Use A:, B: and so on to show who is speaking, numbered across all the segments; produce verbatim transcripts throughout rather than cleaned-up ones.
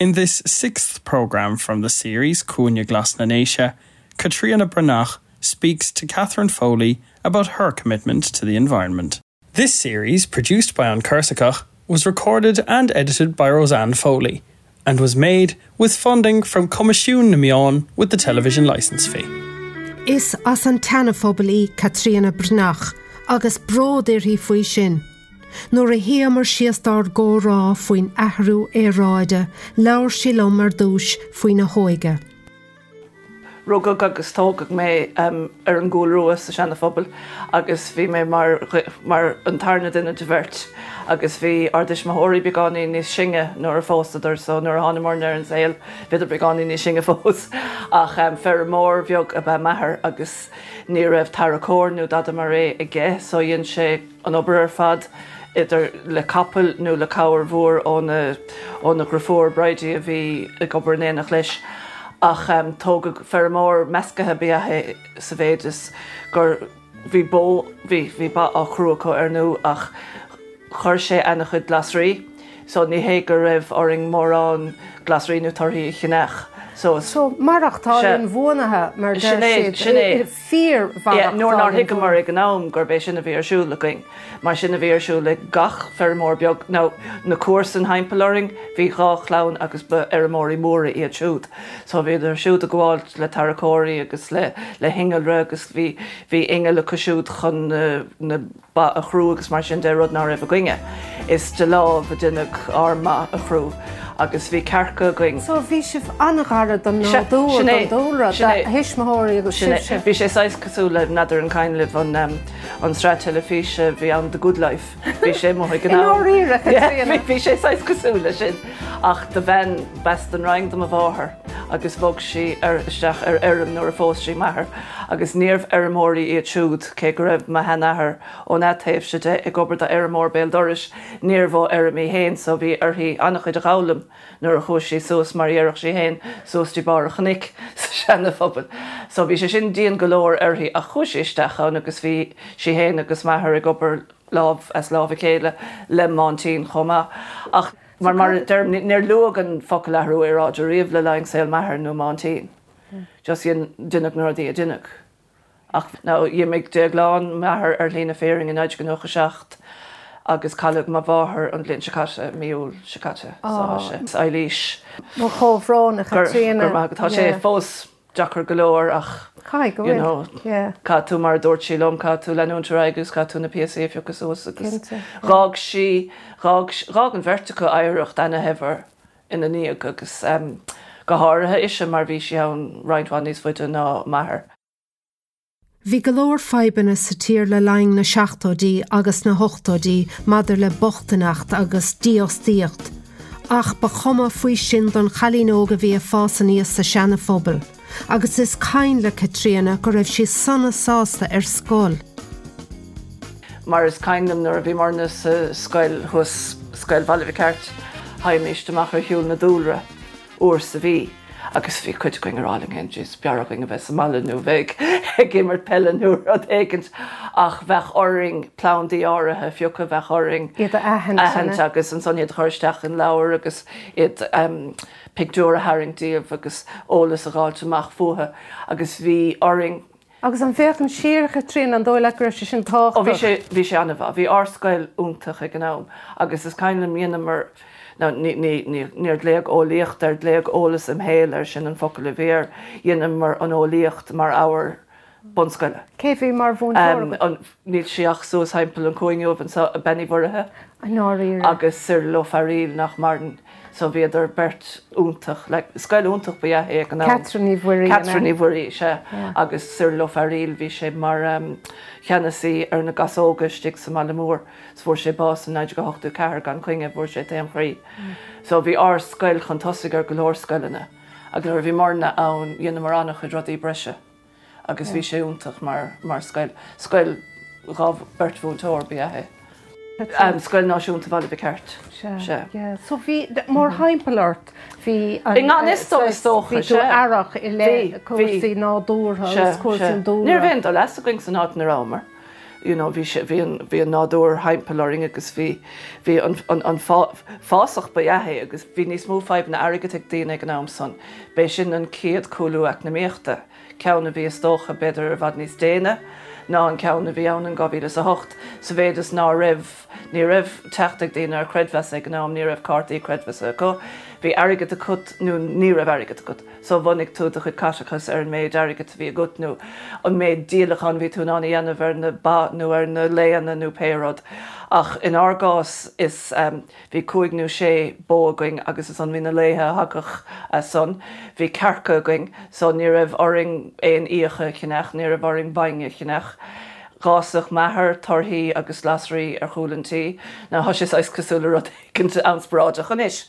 A: In this sixth program from the series Cúinne Glas na nDéise, Caitríona Breathnach speaks to Catherine Foley about her commitment to the environment. This series, produced by An Cursacach, was recorded and edited by Roseanne Foley and was made with funding from Coimisiún na Meán with the television license fee.
B: Is as an tSeana-Phobal í Caitríona Breathnach agus bród uirthi faoi sin. Nuair a shuíomar síos dár gcomhrá faoin athrú aeráide, labhair sí liom ar dtús faoina hóige.
C: Rugadh agus tógadh mé um, ar an gCúl Rua sa Seana-Phobal agus bhí mé mar, mar an tarna duine de bheirt agus bhí ár dtuismitheoirí beagáinín níos sine nuair a phósadar so nuair a thánamarna ar an saol bhíodar beagáinín níos sine fós ach um, feirmeoir beag ab ea m'athair agus ní raibh tarracóir nó dada mar é aige so dhein sé an obair ar fad idir le capall nó le cabhair mhór óna óna dheirfiúr Bridie a bhí ag obair in éineacht leis. ach um, tógadh feirmeoir measctha ab ea é sa mhéid is gur bhí bó bhí bhí ba á crú acu ar ndóigh ach chuir sé an-chuid glasraí, so ní hé go raibh orainn mórán glasraí nó torthaí a cheannach.
B: So, so maireachtáil inbhuanaithe mar
C: sin é
B: fíor
C: nuair nár thuigeamar ag an am gurb é sin a bhí ar siúl againn. Mar sin a bhí ar siúl ag gach feirmeoir beag nó na comharsana timpeall orainn, bhí dhá chlann agus ba fheirmeoirí móra iad siúd. So bhíodar siúd ag gabháil le tarracóirí agus le le hinnealra agus bhí bhí inneall acu siúd chun na, na ba a chrú agus mar sin de rud nach raibh againne. Is de lámh a deineadh ár mba a chrú agus bhí cearca againn.
B: So bhí sibh an-ghar don nádúr don dúlra thuismitheoirí agus sibhse.
C: Bhí sé saghas cosúil le n'fheadar an cuimhin libh an um, an sraith teilifíse bhí an The Good Life. Bhí sé mo go Bhí sé saghas cosúil le sin ach do bhean b'as an Rinn do mo mháthair agus bhog sí ar isteach ar fheirm nuair a phós sí m'athair agus níorbh fheirmeoirí iad siúd cé go raibh mo sheanathair ón taobh sin de ag obair do fheirmeoir béal dorais níorbh ó fheirm í féin so bhí uirthi an-chuid a fhoghlaim nuair a chuaigh sí suas mar dhéarfadh sí féin suas dtí barr an chnoic sa Seana-Phobal. So bhí sé sin dian go leor uirthi ach chuaigh sí isteach ann agus bhí sí féin agus m'athair ag obair lámh as lámh a chéile le m'aintín chomh maith. Ach mar mar níor luadh an focal athrú aeráide riamh le linn saol m'athar nó m'aintín. Just deineadh na rudaí a deineadh. Ach d'imigh Déaglán m'athair ar shlí na fírinne in naoi déag nócha seacht agus cailleadh mo mháthair an bhliain seo caite mí Iúil seo caite Eilís.
B: Mo chomhbhrón a Chaitríona.
C: Tá sé fós deacair go leor ach caithfidh tú mar dúirt sí liom caithfidh tú leanúint ar aghaidh agus caithfidh tú na píosaí a phiocadh suas agus d'fhág sí d'fhág an bheirt acu oidhreacht an-shaibhir ina ndiaidh agus go háirithe ise mar bhí sí ann roinnt mhaith níos faide ná m'athair.
B: Bhí go leor fadhbanna sa tír le linn na seachtóidí agus na hochtóidí maidir le bochtaineacht agus dífhostaíocht. Ach ba chuma faoi sin don chailín óg a bhí ag fás aníos sa Seana-Phobal, agus is cuimhin le Caitríona go raibh sí sona sásta ar scoil.
C: Mar is cuimhin liom nuair a bhíomarna sa scoil thuas Scoil Bhaile Mhic Airt, théimis amach ar shiúl na dúlra uair sa mhí. agus bhí cuid againn ag rá linn féin is b'fhearr againn a bheith sa mbaile nó bheith ag imirt peile nó rud éigin ach bheadh orainn plandaí áirithe a phiocadh bheadh orainn
B: iad a aithint
C: agus ansan iad a chur isteach in leabhar agus iad um, pictiúr a tharraingt díobh agus eolas a fháilt amach fúthu agus bhí orainn
B: Agus an bhféachann siar Caitríona an dóigh leat go raibh sé sin tábhachtach?
C: Ó bhí sé bhí sé an-mhaith, bhí ár scoil iontach ag an am agus is cuimhin liom dheineamar níor glaodh eolaíocht air glaodh eolas imshaoil air sin an focal a bhí air, dheineamar an eolaíocht mar ábhar bunscoile.
B: Cé bhí mar mhúinteoir?
C: Níl sí ach suas thimpeall an chúinne anseo Bean Uí Mhuirithe
B: Ndáiríre.
C: agus Cyril Ó Fearaíl nach maireann so bhíodar beirt iontach like, scoil iontach ba ea é ag an am.
B: Catherine Ní Mhuirí.
C: Catherine Ní Mhuirí sea agus Cyril Ó Fearaíl bhí sé mar um, cheannasaí ar na gasóga istigh sa mbaile mór. Fuair sé bás in naoi déag ochtó ceathair gan choinne fuair sé taom chroí. So bhí ár scoil chun tosaigh ar go leor scoileanna agus nuair a bhíomarna ann dheineamar an-chuid rudaí breise agus bhí sé iontach mar mar scoil scoil dhá beirt mhúinteoir ba ea é. Um, scoil náisiúnta Bhaile Mhic Airt.
B: Sea. So bhí mórthimpeall ort bhí
C: I ngan fhios dom is dócha,
B: bhí tú aireach i leith cúrsaí nádúrtha agus cúrsaí an dúlra.
C: Ní raibh aon dul as againn san áit ina rabhamar. You know, bhí bhí an bhí an nádúr thimpeall orainn agus bhí bhí an, an, an fásach ba ea agus bhí níos mó fadhbanna airgid ag daoine ag an am san. B'é sin an chéad chúlú eacnamaíochta. Ceann a bhí is dócha b'fhéidir i bhfad níos déine ná an ceann a bhí ann in dhá mhíle is a hocht, sa mhéid is ná raibh ní raibh teacht ag daoine ar chreidmheas ag an am, ní raibh cártaí creidmheasa acu, bhí airgead acu nó ní raibh airgead acu. So bhunaigh tú do chuid caiteachas ar an méid airgid a bhí agat nó an méid díolachán bhí tú in ann a dhéanamh ar na ba nó ar na laonna nó pé rud. Ach in ár gcás is um, bhí cúig nó sé bó againn agus is an bhí na laethe a thagadh as san. Bhí cearca againn, so ní raibh orainn aon fhíoch a cheannach, ní raibh orainn bainne a cheannach. D'fhásfadh m'athair torthaí agus glasraí ar chúl an tí, Now tá sé saghas cosúil le rud éicint an-spioradach anois.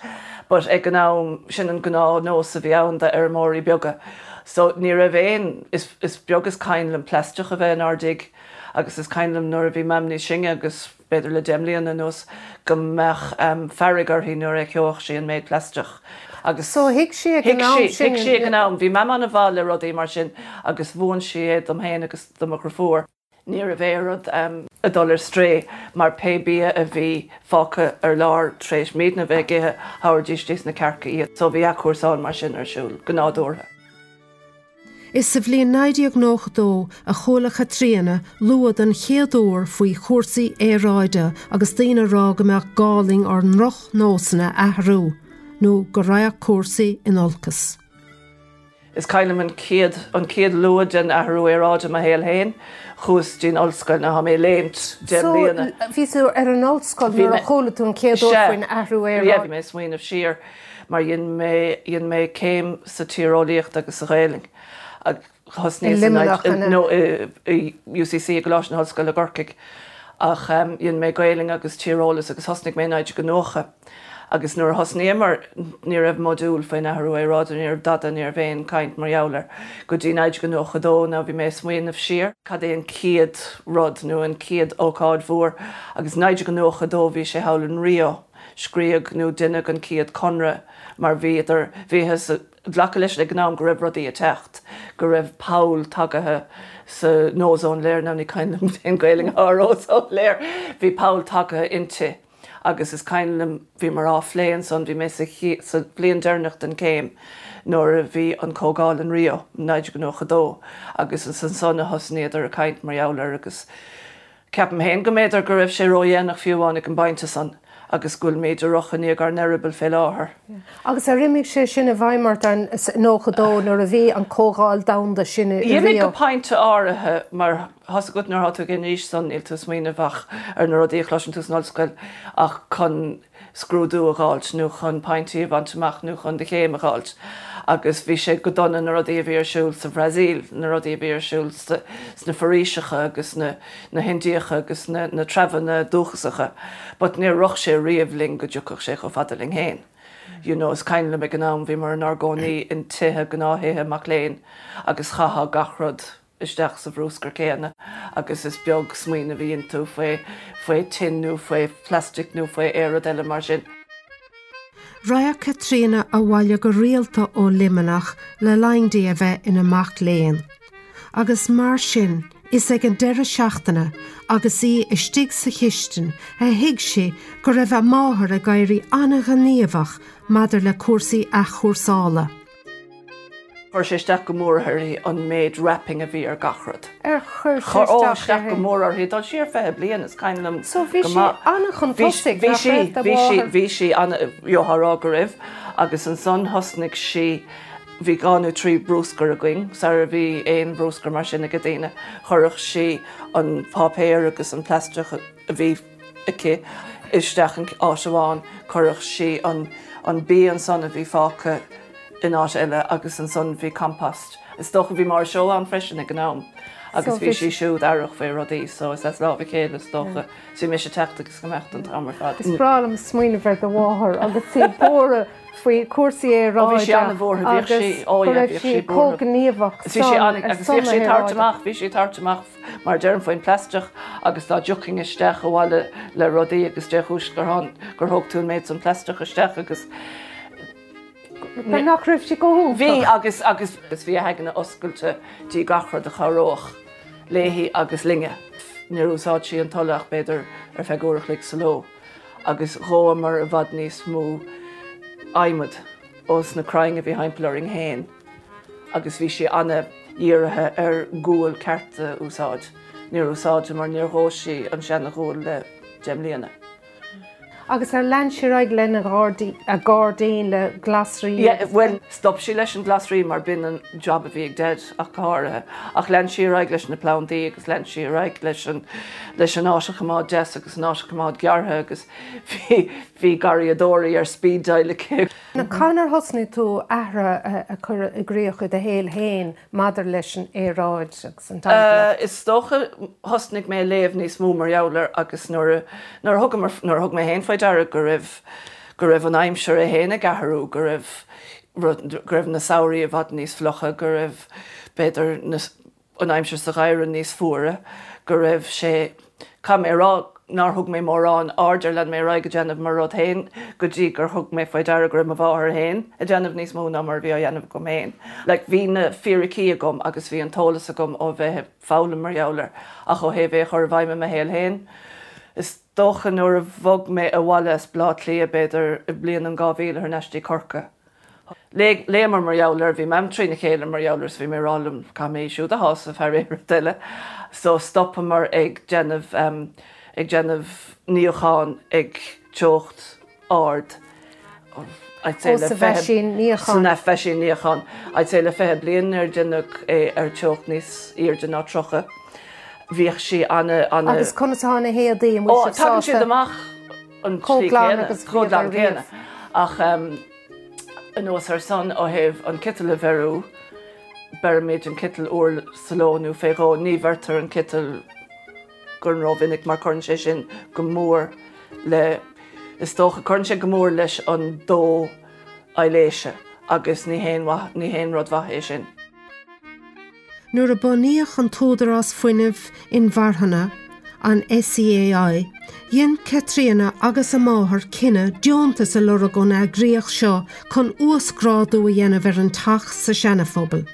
C: But ag an am sin an gnáthnós a bhí ann d'fheirmeoirí beaga. So ní raibh aon is, is beag is cuimhin liom plaisteach a bheith inár dtigh agus is cuimhin liom nuair a bhí Mam níos sine agus b'fhéidir le deich mbliana anuas go mbeadh um, fearg uirthi nuair a gheobhadh sí an méid plaisteach. Agus
B: So thuig sí ag an am sin
C: thuig sí ag an am, bhí Mam an-mhaith le rudaí mar sin agus mhúin sí é dom féin agus do mo dheirfiúr. Ní raibh aon rud um, ag dul ar strae mar pé bia a bhí fágtha ar lár tar éis muidne bheith ag ithe thabharfaidís dos na cearca iad, so bhí athchúrsáil mar sin ar siúl go nádúrtha.
B: Is sa bhliain naoi déag nócha dó a chuala Caitríona lua den chéad uair faoi chúrsaí aeráide agus daoine ag rá go mbeadh gá linn ár ndrochnósanna a athrú, nó go raghadh cúrsaí in olcas.
C: Is cuimhin liom an chéad an chéad lua den athrú aeráide mo shaol féin, chuas dtí'n ollscoil na mé léimt deich mbliana.
B: Bhí tú ar an ollscoil nuair a chuala tú an chéad uair faoin athrú aeráide.
C: Bhí mé smaoineamh siar mar dhein mé dhein mé céim sa tíreolaíocht agus sa Ghaeilge. nó i UCC i gColáiste na hOllscoile i gCorcaigh ach dhein mé Gaeilge agus tíreolas agus thosnaigh mé naoi déag nócha. Agus nuair a thosnaíomar ní raibh modúl faoin athrú aeráide, ní raibh dada ní raibh aon chaint mar gheall air. Go dtí naoi déag nócha dó ná bhí mé smaoineamh siar, cad é an chéad rud nó an chéad ócáid mhór, agus naoi déag nócha dó bhí sé thall in Rio, scríobhadh nó deineadh an chéad conradh mar bhíodar bhíothas glacadh leis ag an am go raibh rudaí ag teacht, go raibh poll tagaithe sa ozone layer ná ní cuimhin liom an Ghaeilge ar ozone layer, bhí poll tagaithe inti. agus is cuimhin liom bhí mar á phlé ansan bhí mé sa bhliain deireanach den chéim nuair a bhí an comhdháil in Rio naoi déag nócha dó agus is ansan a thosnaíodar ag caint mar gheall air agus ceapaim féin go mb'fhéidir go raibh sé ródhéanach fiú amháin ag an bpointe san agus go bhfuil muid ag rith i ndiaidh ár n-eireaball fé láthair.
B: Agus ar imigh sé sin i bhfeidhm ort an nócha dó nuair a bhí an comhdháil domhanda sin i
C: Rio. D'imigh go pointe áirithe mar thosaigh go nuair atá tú ag an aois san níl tú smaoineamh ach ar na rudaí a chloiseann tú san ollscoil ach chun scrúdú a fháilt nó chun pointí a bhaint amach nó chun do chéim a fháilt. Agus bhí sé go dona na rudaí a bhí ar siúl sa Bhrasaíl, na rudaí a bhí ar siúl sna foraoiseacha agus na, na hIndiacha agus na, na treibheanna dúchasacha, but níor rith sé riamh linn go dtiocfadh sé chomh fada linn féin. You know, is cuimhin liom ag an am bhí mar inár gcónaí in tithe gnáth-thithe mac léinn agus chaithfeá gach rud isteach sa bhruscar céanna agus is beag smaoineamh a bhí iontu faoi faoi tin nó faoi plastic nó faoi aon rud eile mar sin.
B: Raghadh Caitríona abhaile go rialta ó Luimneach le linn di a bheith ina mac léinn. Agus mar sin, is ag an deireadh seachtaine agus í istigh sa chistin a thuig sí go raibh a máthair ag éirí an-ghníomhach maidir le cúrsaí athchúrsála.
C: Chuir sé isteach go mór uirthi an méid wrapping a bhí ar gach rud.
B: Ar chuir sé isteach
C: isteach go mór uirthi dul siar fiche bliain is cuimhin liom
B: So bhí sí an-chun tosaigh
C: bhí sí bhí sí bhí sí an-jothrá go raibh agus ansan thosnaigh sí bhí dhá nó trí bruscar againn sar a bhí aon bhruscar mar sin ag daoine chuirfeadh sí an páipéar agus an plaisteach a bhí aici isteach in áit amháin chuirfeadh sí an an bia ansan a bhí fágtha in áit eile agus ansan bhí compost. Is dócha bhí mar seo an freisin ag an am agus bhí sí siúd aireach faoi rudaí so is as lámh a chéile is dócha sí mis techt agus go mbecht an t-am ar fad.
B: Is breá liom smaoineamh ar do mháthair agus í buartha faoi cúrsaí
C: aeráide bhí sí an-bhuartha bhí sí ó
B: bhí sí comhghníomhach
C: Bhí sí agus bhí sí tart amach bhí sí tart amach mar deirim faoin plaisteach agus dá dtiocfainn isteach abhaile le rudaí agus dé chúis gur gur thóg tú an méid san plaisteach isteach agus
B: nach raibh sí go
C: Bhí agus agus bhí a haigne oscailte dtí gach rud a chabhródh léi agus linne. Níor úsáid sí an t-ola ach b'fhéidir ar feadh uair a chloig sa ló agus dhóamar i bhfad níos mó adhmad ós na crainn a bhí thimpeall orainn féin agus bhí sí an-dhírithe ar gual ceart a úsáid. Níor úsáideamar níor dhóigh sí an seana-ghual le deich mbliana.
B: Agus ar lean sí ar aghaidh lena a gairdín le glasraí?
C: Yeah, well, stop sí leis an glasraí mar b'in an job a bhí ag Dad ach go háirithe. Ach lean sí ar aghaidh leis na plandaí agus lean sí ar aghaidh leis an leis an áit a choimeád deas agus an áit a choimeád gearrtha agus bhí bhí garraíodóirí ar speed dial aici.
B: Now cathain ar thosnaigh tú athruithe a chur i gcrích i do shaol féin maidir leis an aeráid agus an
C: Uh, is dócha thosnaigh mé léamh níos mó mar gheall air agus nuair nuair thugamar nuair thug mé féin faoi deara go raibh go raibh an aimsir é féin ag athrú go raibh go raibh na samhraí i bhfad níos fliucha go raibh b'fhéidir an aimsir sa gheimhreadh níos fuaire go raibh sé caithfidh mé a rá nár thug mé mórán aird ar lean mé ar aghaidh ag déanamh mo rud féin go dtí gur thug mé faoi deara go raibh mo mháthair féin ag déanamh níos mó ná mar a bhí á dhéanamh agam féin. Like, bhí na fíricí agam agus bhí an t-eolas agam ó bheith ag foghlaim mar gheall air ach ó thaobh é a chur i bhfeidhm i mo shaol féin. Is dócha nuair a bhog mé abhaile as Baile Átha Cliath b'fhéidir i bliain an dhá mhíle thar n-ais dtí Corcaigh. Léamar mar gheall air bhí mam trína chéile mar gheall air is bhí mé ag rá liom caithfidh mé í siúd a shásamh thar aon rud eile. So stopamar ag déanamh um, ag déanamh níochán ag teocht ard. I'd say le
B: mheaisín níocháin.
C: San mheaisín níocháin. I'd say le fiche bliain ar déanamh é ar teocht níos airde ná tríocha. Bhíodh sí ana ana
B: Agus conas atá na héadaí an
C: Ó,
B: bhfuil sibh
C: tagann siad
B: sásta?
C: amach an
B: Chomh
C: tslí
B: glan
C: céanna,
B: agus
C: chomh glan
B: bhíodar riamh.
C: céanna. Ach um, anuas ar san ó thaobh an citeal a bheiriú, beirimid an citeal uair sa ló nó fé dhó, ní bheirtear an citeal go rómhinic mar cuireann sé sin go mór le is dócha cuireann sé go mór leis an dó aibhléise agus ní haon mhaith- ní haon rud mhaith é sin.
B: Nuair a bunaíodh an tÚdarás Fuinnimh Inmharthana an SEAI, dhein Caitríona agus a máthair cinneadh deontas a lorg ón eagraíocht seo chun uasghrádú a dhéanamh ar an teach sa Seana-Phobal.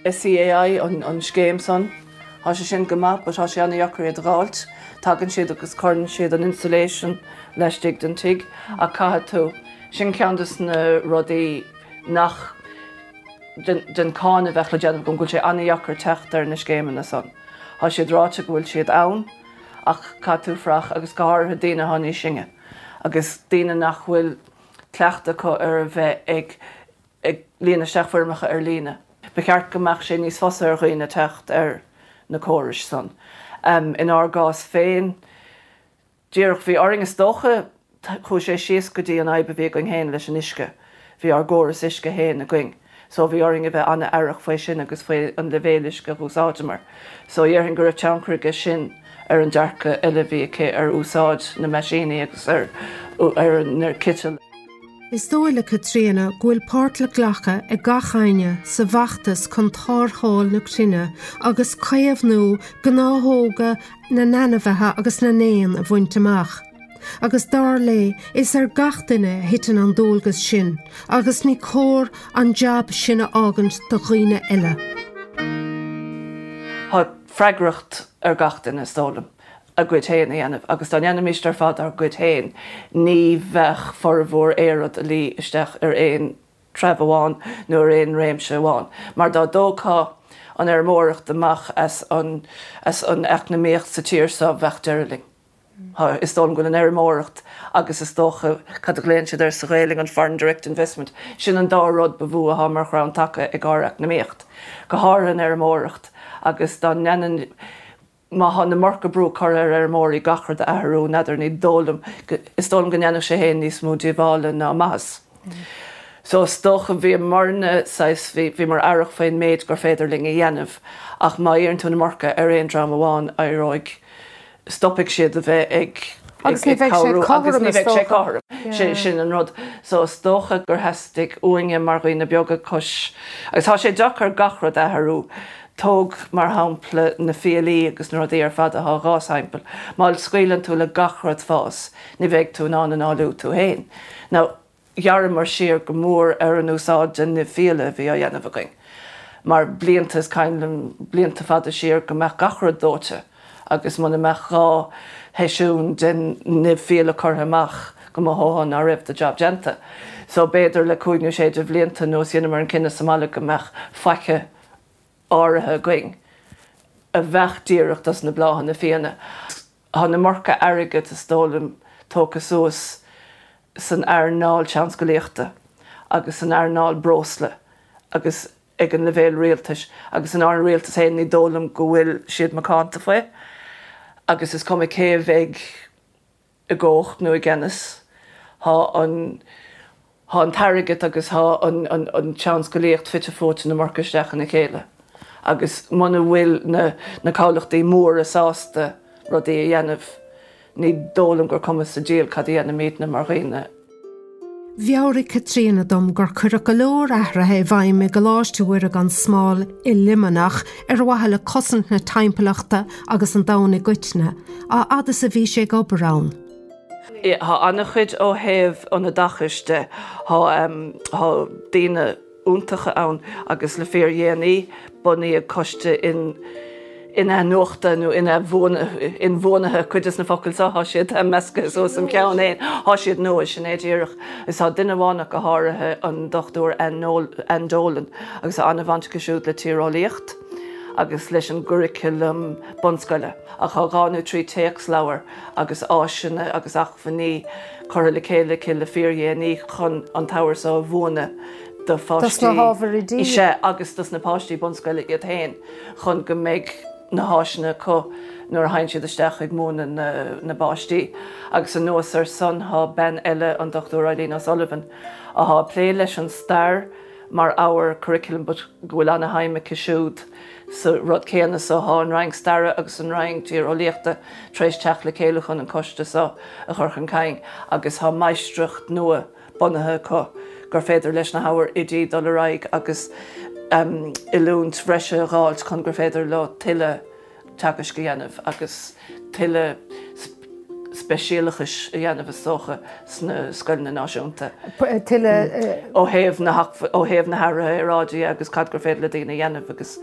C: SEAI an, an scéim san, Tá sé sin go maith, but tá sé an-deacair iad a fháilt, tagann siad agus cuireann siad an insulation laistigh den tigh ach caithfidh tú sin ceann des na rudaí nach den, den cáineadh a bheadh le déanamh go bhfuil sé an-deacair teacht ar na scéimeanna san. Tá siad ráite go bhfuil siad ann ach caithfidh tú fuireach agus go háirithe daoine atá níos sine agus daoine nach bhfuil cleachtadh acu ar a bheith ag ag líonadh isteach foirmeacha ar líne. Ba cheart go mbeadh sé níos fusa ar dhaoine teacht ar na córais san. Um, in ár gcás féin, díreach bhí orainn is dócha chuaigh sé síos go dtí an fhadhb a bhí againn féin leis an uisce. Bhí ár gcóras uisce féin againn. So bhí orainn a bheith an-aireach faoi sin agus faoi an leibhéal uisce a úsáideamar. So dhéarfainn go raibh tionchar aige sin ar an dearcadh eile bhí aici ar úsáid na meaisíní agus ar ar an citeal.
B: Is dóigh le Caitríona go bhfuil páirt le glacadh ag gach éinne sa bhfeachtas chun tarrtháil na cruinne agus caomhnú gnáthóga na n-ainmhithe agus na n-éan a bhaint amach. Agus dar léi is ar gach duine a thiteann an dualgas sin, agus ní cóir an jab sin a fhágaint do dhaoine eile.
C: Tá freagracht ar gach duine is dóigh liom a gcuid féin a dhéanamh, agus dá ndéanfaimis ar fad ár gcuid féin, ní bheadh formhór aon rud a luí isteach ar aon treibh amháin nó ar aon réimse amháin. Mar dá dtógfá an fheirmeoireacht amach as an, as an eacnamaíocht sa tír seo bheadh deireadh linn. Ha, is dóigh liom go bhfuil an fheirmeoireacht agus is dócha cad a ghlaonn siad air sa Ghaeilge an foreign direct investment, sin an dá rud ba mhó atá mar chrann taca ag ár eacnamaíocht. Go háirithe an fheirmeoireacht agus dá ndéanann má tá an iomarca brú curtha ar fheirmeoirí gach rud a athrú n'fheadar ní dóigh liom is dóigh liom go ndéanfadh sé féin níos mó díobhála ná maitheas. So is dócha bhíomarna saghas bhí bhíomar aireach faoin méid gur féidir linn a dhéanamh ach má iarrann tú an iomarca ar aon dream amháin éireoidh stopfaidh siad a bheith ag
B: Agus ní bheidh sé
C: cabhrú agus
B: cothrom
C: ní
B: is
C: bheidh sé
B: dócha.
C: cothrom. Sin sin an rud. So is dócha gur theastaigh uainne mar dhaoine beaga cois. Agus tá sé deacair gach rud a athrú. Tóg mar shampla na fiailí agus na rudaí ar fad atá dhá thimpeall. Má scaoileann tú le gach rud fás, ní bheidh tú in ann análú tú féin. Now, ghearramar siar go mór ar an úsáid den nimh fiaile a bhí á dhéanamh againn. Mar blianta is cuimhin liom blianta fada siar go mbeadh gach rud dóite agus muna mbeadh dhá sheisiún den nimh fiaile curtha amach go mothófá nach raibh do job déanta. So b'fhéidir le cúig nó sé de bhlianta anuas rinneamar an cinneadh sa mbaile go mbeadh faiche áirithe againn a bheadh díreach dos na bláthanna fiáine. Tá an iomarca airgid is dóigh liom tógtha suas san earnáil tionsclaíochta agus san earnáil breosla agus ag an leibhéal rialtais agus an an rialtas féin ní dóigh liom go bhfuil siad macánta faoi agus is cuma cé a bheidh i gcumhacht nó i gceannas Tá an Tá an t-airgead agus tá an, an, an tionsclaíocht fite fuaite na marc isteach ina chéile. Agus muna bhfuil na, na comhlachtaí móra sásta rudaí a dhéanamh, ní dóigh liom gur cuma sa diabhal cad a dhéanaimidne mar dhaoine.
B: Mheabhraigh Caitríona dom gur cuireadh go leor athruithe i bhfeidhm i gColáiste Mhuire gan Smál i Luimneach ar mhaithe le cosaint na timpeallachta agus an domhain i gcoitinne, a fhad is a bhí sé ag obair ann.
C: Tá an-chuid ó thaobh an oideachais de tá daoine iontacha ann agus le fíordhéanaí bunaíodh coiste in in-athnuachta nó inbhuanaithe cuid de na focail seo tá siad measctha suas im cheann féin tá siad nua sin é díreach is tá duine amháin go háirithe an Dochtúir Ann Dolan agus tá an-bhaint aici siúd le tíreolaíocht agus leis an gcuraclam bunscoile ach tá dhá nó trí téacsleabhar agus áiseanna agus acmhainní curtha le chéile aici le fíordhéanaí chun an t-ábhar seo a mhúineadh do pháistí sé agus dos na páistí bunscoile iad féin chun go mbeidh na háiseanna acu nuair a théann siad isteach ag múineadh na, na bpáistí. Agus anuas ar san tá bean eile an Dochtúir Eileen O'Sullivan atá ag plé leis an stair mar ábhar curriculum but go bhfuil an-shuim aici siúd sa rud céanna so tá an Roinn Staire agus an Roinn Tíreolaíochta tar éis teacht le chéile chun an coiste seo a chur chun cinn agus tá máistreacht nua bunaithe acu gur féidir leis na hábhair oidí dul ar aghaidh agus um, oiliúint bhreise a fháilt chun gur féidir leo tuilleadh teagaisc a dhéanamh agus tuilleadh speisialachais a dhéanamh is dócha sna scoileanna náisiúnta.
B: Tuilleadh
C: ó thaobh na ó thaobh na hathraithe aeráide agus cad gur féidir le daoine a dhéanamh agus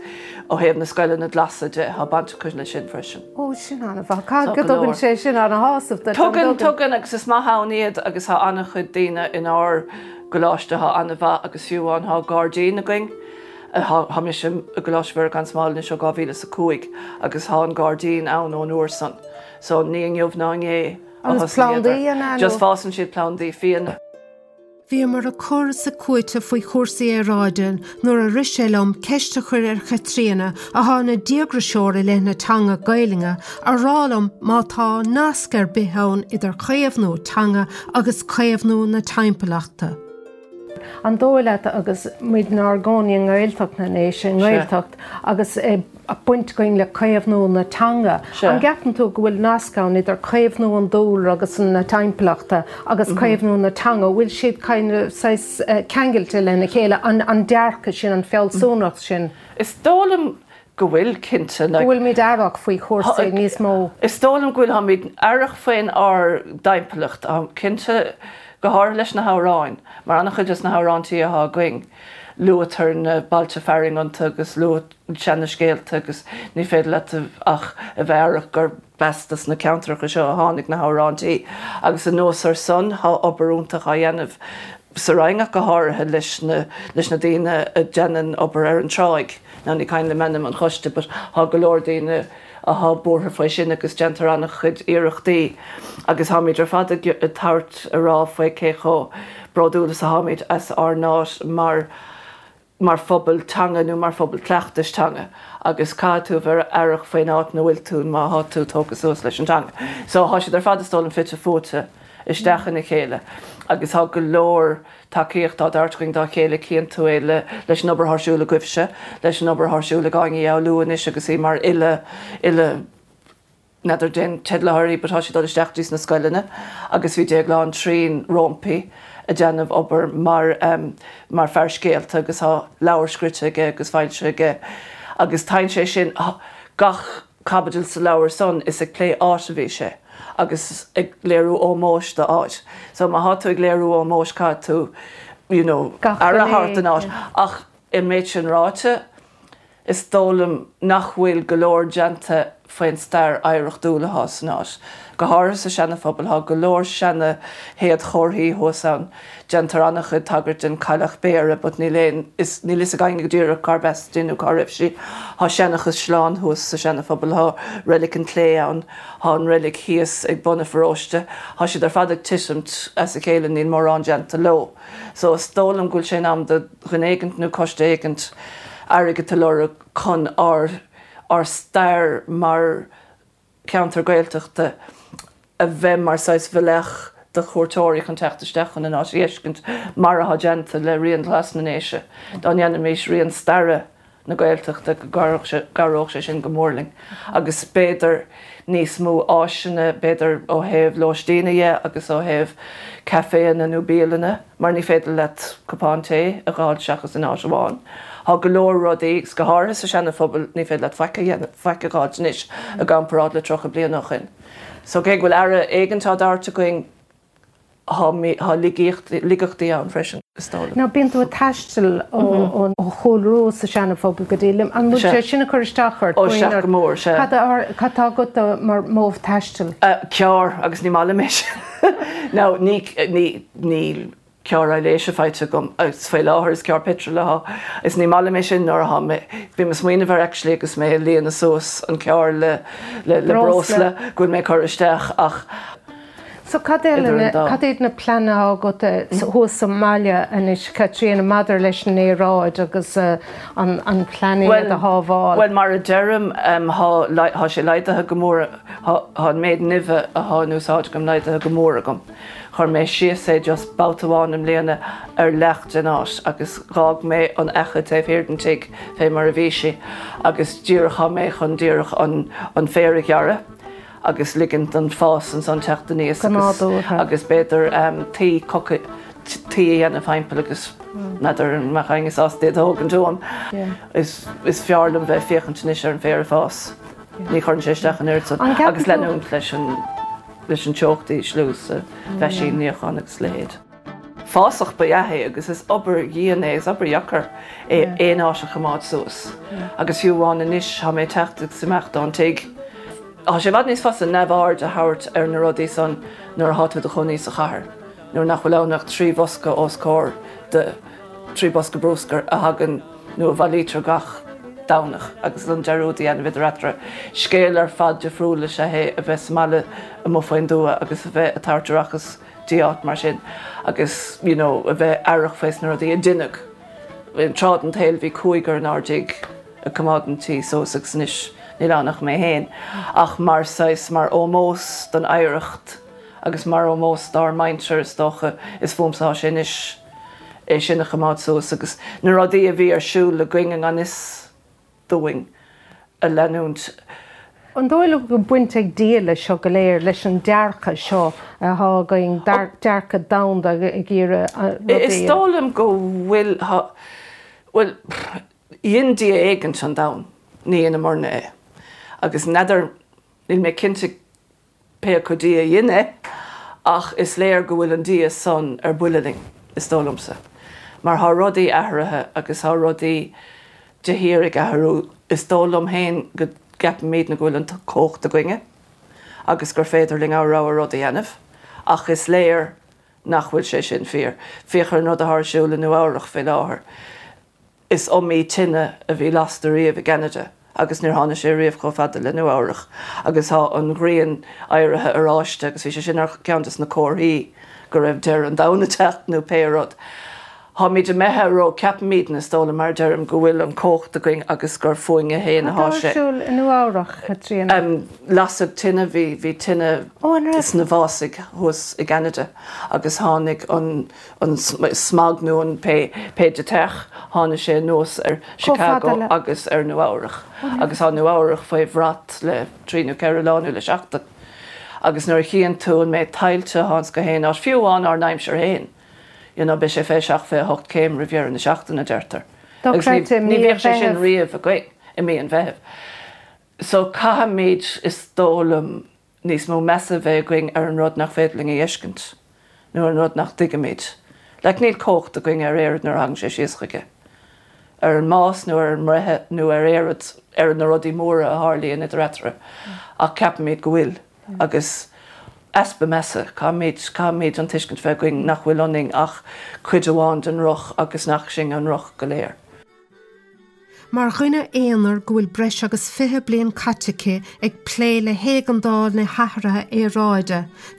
C: ó thaobh na scoileanna glasa de tá baint acu leis sin freisin.
B: Ó sin an-mhaith go dtugann sé sin an-shásamh
C: Tugann tugann agus is maith ann iad agus tá an-chuid daoine inár gcoláiste atá an-mhaith agus fiú amháin tá gairdín againn. Tá mise i gColáiste Mhuire gan Smál anois ó dhá mhíle is a cúig agus tá an gairdín ann ón uair san. So ní inniu ná inné
B: Agus plandaí an
C: Just fásann siad plandaí fiáine.
B: Bhíomar ag cur is ag cúiteamh faoi chúrsaí aeráide nuair a rith sé liom ceist a chur ar Chaitríona atá ina díograiseoir i leith na teanga Gaeilge a rá liom má tá nasc ar bith ann idir caomhnú teanga agus caomhnú na timpeallachta. An dóigh leat agus muid inár gcónaí i nGaeltacht na nDéise i nGaeltacht agus baint againn le caomhnú na teanga. An gceapann tú go bhfuil nasc ann idir caomhnú an dúlra agus na timpeallachta agus mhm. caomhnú na teanga, bhfuil siad ceangailte lena chéile an, an dearcadh sin an fealsúnacht sin.
C: Is dóigh liom go bhfuil cinnte
B: go bhfuil muid aireach faoi chúrsaí níos mó.
C: Is dóigh liom go bhfuil táimid aireach faoin ár dtimpeallacht cinnte go háirithe leis na hamhráin, mar an-chuid de na hamhráintí atá againn. Luaitear na bailte fearainn iontu agus luaitear seanscéalta agus ní féidir leat ach a bheith aireach gur b'as na ceantracha seo a tháinig na hamhráintí. Agus anuas ar san tá obair iontach á dhéanamh sa Roinn ach go háirithe leis na, leis na daoine a dhéanann obair ar an tráigh. Ná ní cuimhin liom ainm an choiste, but tá go leor daoine atá buartha faoi sin agus déantar an-chuid iarrachtaí agus táimid ar fad ag tabhairt a rá faoi cé chomh bródúil is atáimid as ár n-áit mar mar phobal teanga nó mar phobal cleachtais teanga agus caithfidh tú bheith aireach faoin áit ina bhfuil tú má tá tú tógtha suas leis an teanga. So tá siad ar fad is dóigh liom fite fuaite isteach ina chéile agus tá go leor tacaíocht á dtabhairt againn dá chéile cíonn tú é le leis an obair atá ar siúl agaibhse, leis an obair atá ar siúl ag Áine Ní Fhoghlú anois agus í mar fhile fhile n'fheadar cén teideal atá uirthi but tá sí dul isteach dtí sna scoileanna agus bhí Déaglán Trín roimpi ag déanamh obair mar um, mar fear scéalta agus tá leabhar scríte aige agus foilsithe aige agus tá sé sin gach caibidil sa leabhar san is ag plé áit a bhí sé agus ag léiriú ómóis do áit. So má tá tú ag léiriú ómóis caithfidh tú you know, aire a thabhairt don áit. Ach an méid sin ráite, is dóigh liom nach bhfuil go leor déanta faoin stair oidhreachtúil atá san áit. Go háirithe sa Seana-Phobal tá go leor seana shéadchomharthaí thuas ann. Déantar an-chuid tagairt den Cailleach Béara, but níl aon is níl fhios againn go díreach cárb as di nó cá raibh sí. Tá seana-chaisleán thuas sa Seana-Phobal, tá Reilig an Chlé ann, tá an reilig thíos ag bun an pharóiste. Tá siad ar fad ag titim as a chéile níl mórán déanta leo. So is dóigh liom go bhfuil sé in am do dhuine éigint nó coiste éigint airgead a lorg chun ár ár stair mar ceantar Gaeltachta a bheith mar saghas bealach do chuairteoirí chun teacht isteach chun an áit a fheiscint mar atá déanta le Rian Glas na nDéise. Dá ndéanfaimis rian staire na Gaeltachta go gcabhródh sé sin go mór linn. Agus b'fhéidir níos mó áiseanna b'fhéidir ó thaobh lóistín dhe agus ó thaobh caiféanna nó bialanna, mar ní féidir leat cupán tae a fháil seachas in áit amháin. Tá go leor rudaí agus go háirithe sa Seana-Phobal ní féidir leat faic faic a fháil anois i gcomparáid le tríocha bliain ó shin. So cé go bhfuil aire éigin á dtabhairt againn tá laigeachtaí ann freisin.
B: Now bíonn tú ag taisteal ó Chúil Rua sa Seana-Phobal go dtí an bhfuil sé sin ag cur isteach ort?
C: Ó sea go mór sea.
B: Cad tá agat mar mhodh taistil?
C: Carr agus ní maith liom é sin. Now ní ní carr aibhléise faighte agam agus faoi láthair is carr petrol atá is ní maith liom é sin nuair atá mé bhí mé ag smaoineamh air actually agus mé ag líonadh suas an carr le le le breosla go bhfuil mé ag cur isteach ach
B: So cad cad iad na pleananna agat thuas sa mbaile anois Caitríona maidir leis an aeráid agus an an pláinéad a shábháil?
C: Well mar a deirim tá sé laghdaithe go mór tá an méid nimhe atá in úsáid agam laghdaithe go mór agam. Chuir mé síos é just babhta amháin i mbliana ar leath den áit agus dh'fhág mé an fhaiche taobh thiar den tigh fé mar a bhí sí agus díreach thá mé chun díreach an an féar a ghearradh agus ligint don fás ansan teacht aníos agus agus b'fhéidir tuí coca tuí a dhéanamh thimpeall agus n'fheadar an mbeadh éinne sásta iad a thógaint uaim. Is is fearr liom bheith ag féachaint anois ar an bhféar ag fás. Ní chuireann sé isteach an oiread san agus leanúint leis an leis an teocht a ísliú sa mheaisín níocháin agus a leithéid. Fásach ba ea é agus is obair dhian é, is obair dheacair é aon áit a choimeád suas. Agus fiú amháin anois tá mé ag teacht agus imeacht ón tigh. Tá sé i bhfad níos fusa neamhaird a thabhairt ar na rudaí san nuair atá tú i do chónaí sa chathair, nuair nach bhfuil ann ach trí bhosca os comhair do, trí bhosca bruscair a thagann nó a bhailítear gach Domhnach agus an dearúd a dhéanamh idir eatarthu. Scéal ar fad difriúil is ea é a bheith sa mbaile amuigh faoin dtuath agus a bheith ag tabhairt aireachas dtí áit mar sin agus you know a bheith aireach faoi na rudaí a deineadh. Tráth den tsaol bhí cúigear inár dtigh ag coimeád an tí suas agus anois níl ann ach mé féin. Ach mar saghas, mar ómós don oidhreacht agus mar ómós dár muintir is dócha is fúmsa atá sé anois. é sin a choimeád suas agus na rudaí a bhí ar siúl againn i ngan fhios dúinn a leanúint.
B: An dóigh leat go bhfuil baint ag Dia leis seo go léir, leis an dearcadh seo atá againn, dearcadh domhanda ag iarraidh rudaí a.
C: Is dóigh liom go bhfuil, bhuel, dhein Dia éigint an domhan, ní dheineamarna é. Agus n'fheadar, níl mé cinnte pé acu Dia a dhein é, ach is léir go bhfuil an Dia san ar buile linn, is dóigh liomsa. Mar thá rudaí athraithe agus thá rudaí de shíor ag athrú. Is dóigh liom féin go gceapaimídne go bhfuil an chumhacht againne agus gur féidir linn ár rogha rud a dhéanamh, ach is léir nach bhfuil sé sin fíor. Féach ar an rud athá ar siúl i Nua Eabhrach fé láthair. Is iomaí tine a bhí lasta riamh i gCeanada agus níor tháinig sé riamh chomh fada le Nua Eabhrach agus tá an ghrian éirithe oráiste agus bhí sé sin ar cheann des na comharthaí go raibh deireadh an domhain ag teacht nó pé rud. Táimid imithe ró, ceapaimidne, is dóigh liom, mar a deirim, go bhfuil an chumhacht againn agus gur fúinne féin
B: atá
C: sé.
B: Cad tá ar siúl i Nua Eabhrach, Caitríona?
C: Lasadh tine, bhí, bhí tine
B: Ó, an raibh?
C: sna fásaigh thuas i gCeanada agus tháinig an, an smog nó an pé, pé deiteach, tháinig sé anuas ar
B: Chomh fada
C: Chicago
B: le.
C: agus ar Nua Eabhrach agus tá Nua Eabhrach faoi bhrat le trí nó ceithre lá nó le seachtain. Agus nuair a chíonn tú an méid tuilte atá ins gach aon áit, fiú amháin ár n-aimsir féin, you know, beidh sé fiche seacht, fiche hocht céim roimh dheireadh na seachtaine, a deirtear. Agus ní,
B: Dochreidte,
C: ní
B: mí an
C: bhíodh sé sin
B: Mheithimh.
C: riamh againn i mí an Mheithimh. So caithfimid, is dóigh liom, níos mó measa a bheith againn ar an rud nach féidir linn a fheiscint nó an rud nach dtuigimid. Like, níl cumhacht againn ar Éirinn nuair a thagann sé síos chuige. ar an mbás nó ar an mbreith nó ar éad ar na rudaí móra a tharlaíonn idir eatarthu ach ceapaimid go bhfuil agus easpa measa caithfimid caithfimid an tuiscint bheith againn nach bhfuil ionainn ach cuid amháin den roth agus nach sinn an roth go léir.
B: Mar dhuine aonair go bhfuil breis agus fiche bliain caite aici ag plé le héigeandáil na hathraithe aeráide,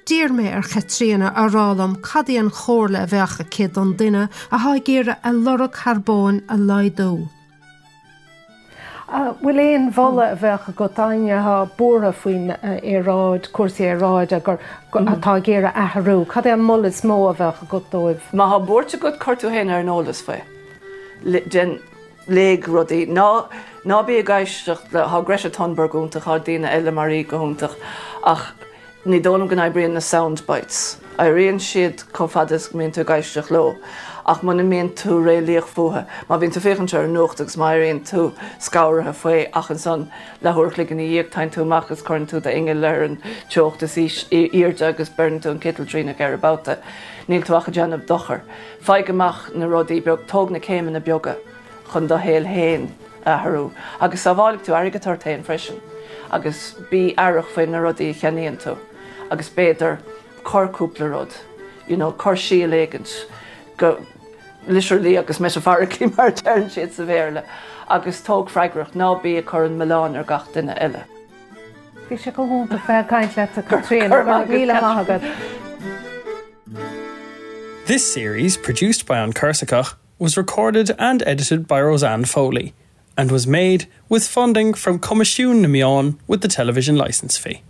B: d'iarr mé ar Chaitríona a rá liom cad í an chomhairle a bheadh aici don duine atá ag iarraidh a lorg carbóin a laghdú.
D: Bhfuil aon mholadh a bheadh agat d'éinne atá buartha faoin aeráid cúrsaí aeráide gur atá ag iarraidh athrú, Cad é an moladh is mó a bheadh agat dóibh?
C: Má tá buairt agat cuir tú féin ar an eolas faoi. Den léigh rudaí ná ná bí ag éisteacht le tá Greta Thunberg iontach tá daoine eile mar í go hiontach ach ní dóigh liom go n-oibríonn na sound bites. Oibríonn siad chomh fada is go mbíonn tú ag éisteacht leo, ach muna mbíonn tú réalaíoch fúthu, má bhíonn tú féachaint ar an nuacht agus má éiríonn tú scanraithe faoi ach ansan leathuair an chloig ina dhiaidh téann tú amach agus cuireann tú d'ingeal ar an teocht is airde agus beireann tú an citeal trína ceithre babhta. Níl tú ach ag déanamh dochar. Faigh amach na rudaí beag tóg na céimeanna beaga. chun do shaol féin a athrú, agus sábhálfaidh tú airgead ort féin freisin, agus bí aireach faoi na rudaí a cheannaíonn tú, agus b'fhéidir cuir cúpla rud, you know, cuir síol éigint go literally agus metaphorically mar a deireann siad sa Bhéarla, agus tóg freagracht, ná bí ag cur an milleán ar gach duine eile.
D: Bhí sé go hiontach bheith ag caint leat a Chaitríona, go raibh míle maith agat.
A: This series, produced by An Corsica, was recorded and edited by Roseanne Foley and was made with funding from Coimisiún na Meán with the television licence fee.